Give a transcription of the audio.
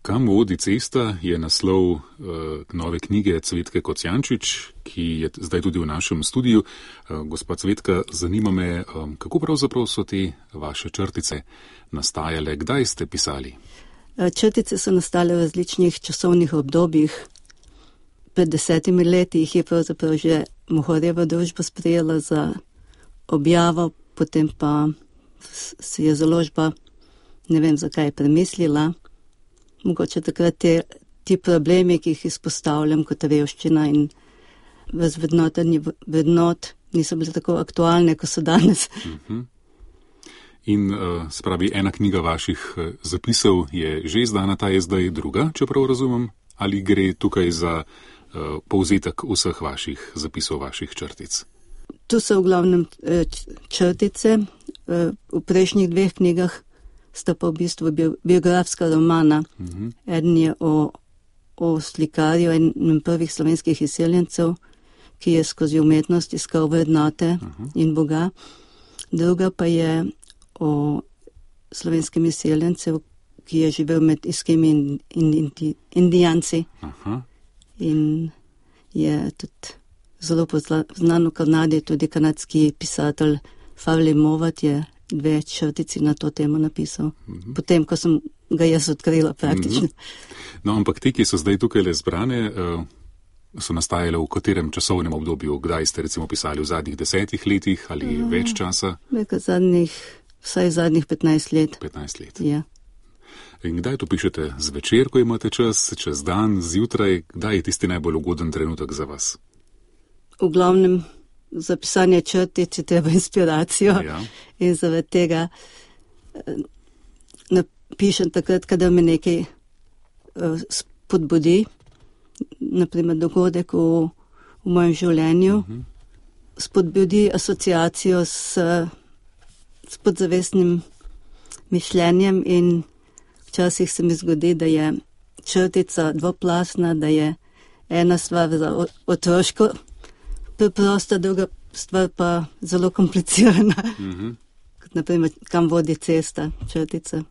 Kam vodi cesta je naslov nove knjige Cvetke Kocijančič, ki je zdaj tudi v našem studiu. Gospa Cvetka, zanima me, kako pravzaprav so te vaše črtice nastajale, kdaj ste pisali? Črtice so nastale v različnih časovnih obdobjih. Pred 10 leti jih je pravzaprav že Mohorjeva družba sprejela za objavo, potem pa si je založba, ne vem zakaj, premislila. Mogoče takrat ti problemi, ki jih izpostavljam kot revščina in razvrednotenje vrednot, niso bile tako aktualne, kot so danes. In spravi, ena knjiga vaših zapisov je že izdana, ta je zdaj druga, če prav razumem, ali gre tukaj za povzetek vseh vaših zapisov, vaših črtic? Tu so v glavnem črtice, v prejšnjih 2 knjigah sta pa v bistvu biografska romana. Eden je o slikarju, enem prvih slovenskih izseljencev, ki je skozi umetnost iskal vrednote in Boga. Druga pa je o slovenskem izseljencev, ki je živel med iskimi in indijanci. In je tudi zelo poznan v Kanadi, tudi kanadski pisatelj Favli Movat je 2 črtici na to temo napisal. Potem, ko sem ga jaz odkrila praktično. No, ampak te, ki so zdaj tukaj le zbrane, so nastajale v katerem časovnem obdobju? Kdaj ste recimo pisali, v zadnjih 10 letih ali več časa? Vsaj zadnjih 15 let. 15 let. Ja. In kdaj to pišete? Zvečer, ko imate čas, čez dan, zjutraj? Kdaj je tisti najbolj ugoden trenutek za vas? V glavnem za pisanje črtic je treba inspiracijo. Ja. In zaradi tega napišem takrat, kadar me nekaj spodbudi, naprimer dogodek v mojem življenju, spodbudi asociacijo s podzavestnim mišljenjem in včasih se mi zgodi, da je črtica dvoplastna, da je ena stvar za otroško preprosta, druga stvar pa zelo komplicirana. Kot naprimer, kam vodi cesta, črtica.